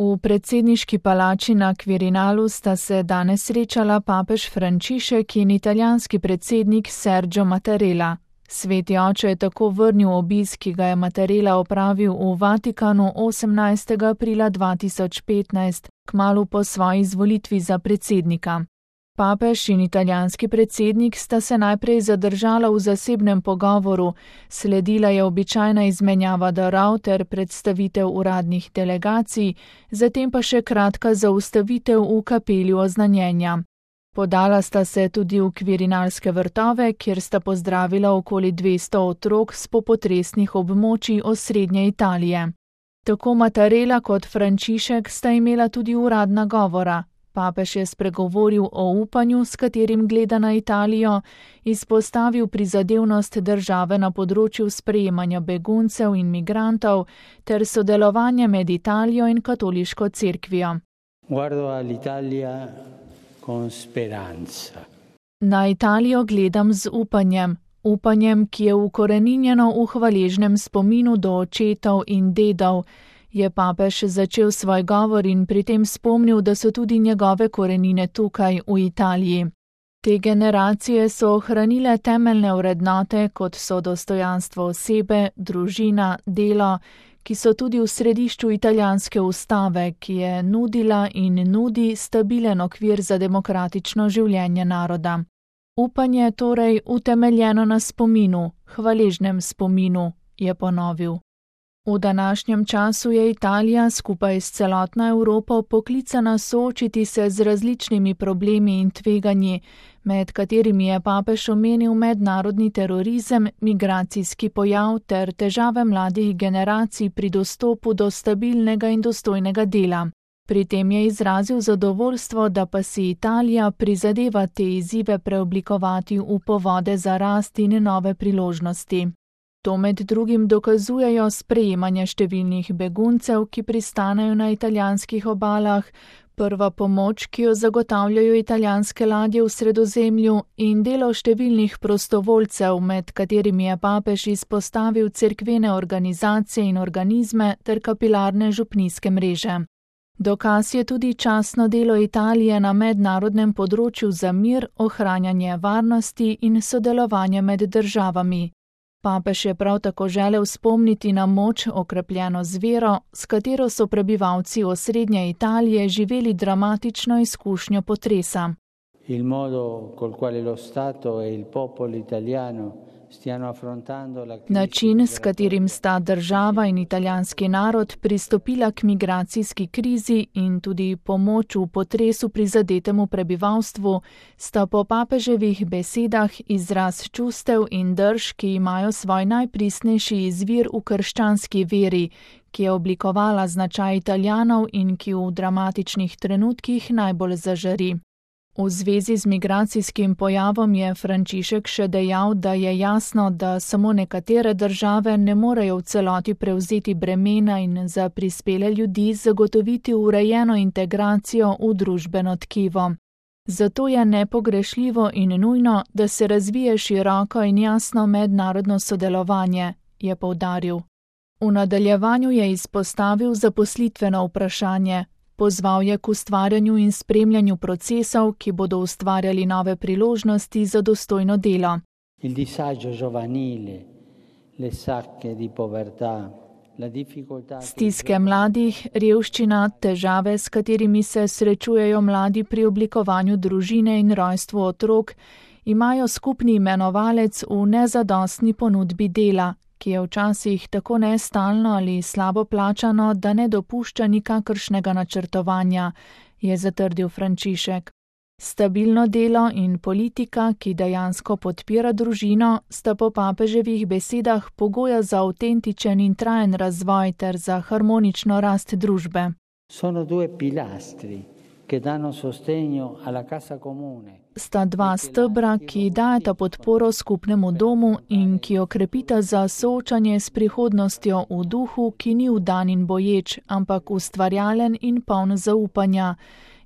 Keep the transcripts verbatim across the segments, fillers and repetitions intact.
V predsedniški palači na Quirinalu sta se danes srečala papež Frančišek in italijanski predsednik Sergio Mattarella. Sveti oče je tako vrnil obisk, ki ga je Mattarella opravil v Vatikanu osemnajstega aprila dva tisoč petnajst, kmalu po svoji izvolitvi za predsednika. Papež in italijanski predsednik sta se najprej zadržala v zasebnem pogovoru, sledila je običajna izmenjava darov ter predstavitev uradnih delegacij, zatem pa še kratka zaustavitev v kapeli oznanjenja. Podala sta se tudi v Quirinalske vrtove, kjer sta pozdravila okoli dvesto otrok s popotresnih območij osrednje Italije. Tako Mattarella kot Frančišek sta imela tudi uradna govora. Papež je spregovoril o upanju, s katerim gleda na Italijo, izpostavil prizadevnost države na področju sprejemanja beguncev in migrantov ter sodelovanje med Italijo in katoliško cerkvijo. Guardo all'Italia con speranza. Na Italijo gledam z upanjem, upanjem, ki je ukoreninjeno v hvaležnem spominu do očetov in dedov, je papež začel svoj govor in pri tem spomnil, da so tudi njegove korenine tukaj, v Italiji. Te generacije so ohranile temeljne vrednote, kot so dostojanstvo osebe, družina, delo, ki so tudi v središču italijanske ustave, ki je nudila in nudi stabilen okvir za demokratično življenje naroda. Upanje je torej utemeljeno na spominu, hvaležnem spominu, je ponovil. V današnjem času je Italija skupaj s celotno Evropo poklicana soočiti se z različnimi problemi in tveganji, med katerimi je papež omenil mednarodni terorizem, migracijski pojav ter težave mladih generacij pri dostopu do stabilnega in dostojnega dela. Pri tem je izrazil zadovoljstvo, da pa si Italija prizadeva te izzive preoblikovati v povode za rast in nove priložnosti. To med drugim dokazujejo sprejemanje številnih beguncev, ki pristanejo na italijanskih obalah, prva pomoč, ki jo zagotavljajo italijanske ladje v Sredozemlju, in delo številnih prostovoljcev, med katerimi je papež izpostavil cerkvene organizacije in organizme ter kapilarne župnijske mreže. Dokaz je tudi častno delo Italije na mednarodnem področju za mir, ohranjanje varnosti in sodelovanje med državami. Papež je prav tako želel spomniti na moč, okrepljeno z vero, s katero so prebivalci osrednje Italije živeli dramatično izkušnjo potresa. Il modo col quale lo Stato e il popolo italiano stiano affrontando la crisi. Način, s katerim sta država in italijanski narod pristopila k migracijski krizi in tudi pomoč v potresu prizadetemu prebivalstvu, sta po papeževih besedah izraz čustev in drž, ki imajo svoj najpristnejši izvir v krščanski veri, ki je oblikovala značaj Italijanov in ki v dramatičnih trenutkih najbolj zažari. V zvezi z migracijskim pojavom je Frančišek še dejal, da je jasno, da samo nekatere države ne morejo v celoti prevzeti bremena in za prispele ljudi zagotoviti urejeno integracijo v družbeno tkivo. Zato je nepogrešljivo in nujno, da se razvije široko in jasno mednarodno sodelovanje, je poudaril. V nadaljevanju je izpostavil zaposlitveno vprašanje. Pozval je k ustvarjanju in spremljanju procesov, ki bodo ustvarjali nove priložnosti za dostojno delo. Il disagio giovanile, le sacche di povertà, la difficoltà. Stiske mladih, revščina, težave, s katerimi se srečujejo mladi pri oblikovanju družine in rojstvu otrok, imajo skupni imenovalec v nezadostni ponudbi dela, ki je včasih tako nestalno ali slabo plačano, da ne dopušča nikakršnega načrtovanja, je zatrdil Frančišek. Stabilno delo in politika, ki dejansko podpira družino, sta po papeževih besedah pogoja za avtentičen in trajen razvoj ter za harmonično rast družbe. Sono due pilastri che danno sostegno alla casa comune. Sta dva stebra, ki dajeta podporo skupnemu domu in ki okrepita za soočanje s prihodnostjo v duhu, ki ni vdan in boječ, ampak ustvarjalen in poln zaupanja,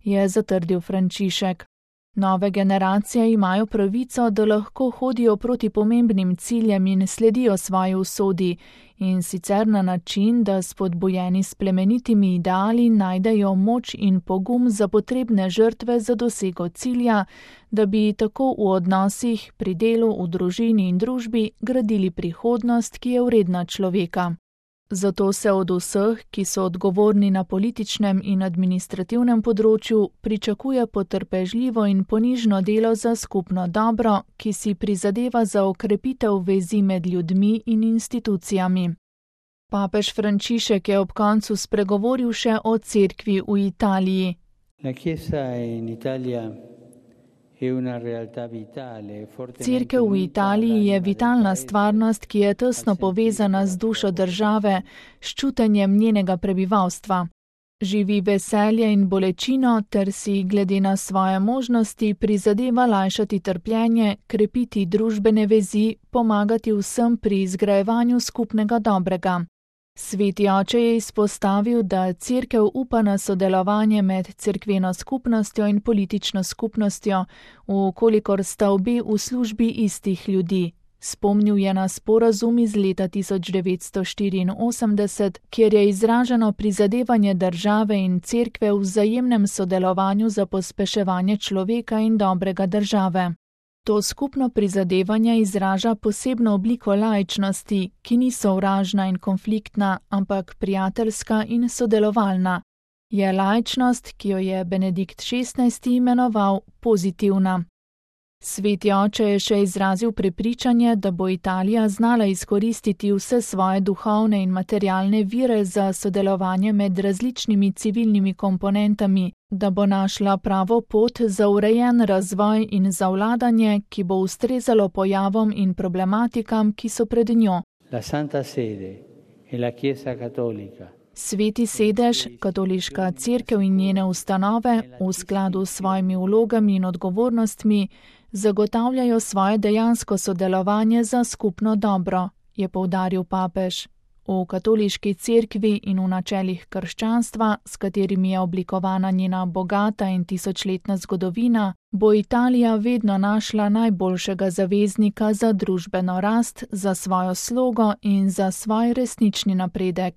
je zatrdil Frančišek. Nove generacije imajo pravico, da lahko hodijo proti pomembnim ciljem in sledijo svoji usodi, in sicer na način, da spodbujeni s plemenitimi ideali najdejo moč in pogum za potrebne žrtve za dosego cilja, da bi tako v odnosih, pri delu, v družini in družbi gradili prihodnost, ki je vredna človeka. Zato se od vseh, ki so odgovorni na političnem in administrativnem področju, pričakuje potrpežljivo in ponižno delo za skupno dobro, ki si prizadeva za okrepitev vezi med ljudmi in institucijami. Papež Frančišek je ob koncu spregovoril še o cerkvi v Italiji. La Chiesa in Italia Cerkev v Italiji je vitalna stvarnost, ki je tesno povezana z dušo države, s čutenjem njenega prebivalstva. Živi veselje in bolečino ter si, glede na svoje možnosti, prizadeva lajšati trpljenje, krepiti družbene vezi, pomagati vsem pri izgrajevanju skupnega dobrega. Sveti oče je izpostavil, da cerkev upa na sodelovanje med cerkveno skupnostjo in politično skupnostjo, vkolikor sta obe v službi istih ljudi. Spomnil je na sporazum iz leta tisoč devetsto štiriinosemdeset, kjer je izraženo prizadevanje države in cerkve v vzajemnem sodelovanju za pospeševanje človeka in dobrega države. To skupno prizadevanje izraža posebno obliko laičnosti, ki ni sovražna in konfliktna, ampak prijateljska in sodelovalna. Je laičnost, ki jo je Benedikt šestnajsti imenoval pozitivna. Sveti oče je še izrazil prepričanje, da bo Italija znala izkoristiti vse svoje duhovne in materialne vire za sodelovanje med različnimi civilnimi komponentami, da bo našla pravo pot za urejen razvoj in za vladanje, ki bo ustrezalo pojavom in problematikam, ki so pred njo. La Santa Sede e la Chiesa Cattolica. Sveti sedež, katoliška cerkev in njene ustanove v skladu s svojimi vlogami in odgovornostmi zagotavljajo svoje dejansko sodelovanje za skupno dobro, je poudaril papež. V katoliški cerkvi in v načelih krščanstva, s katerimi je oblikovana njena bogata in tisočletna zgodovina, bo Italija vedno našla najboljšega zaveznika za družbeno rast, za svojo slogo in za svoj resnični napredek.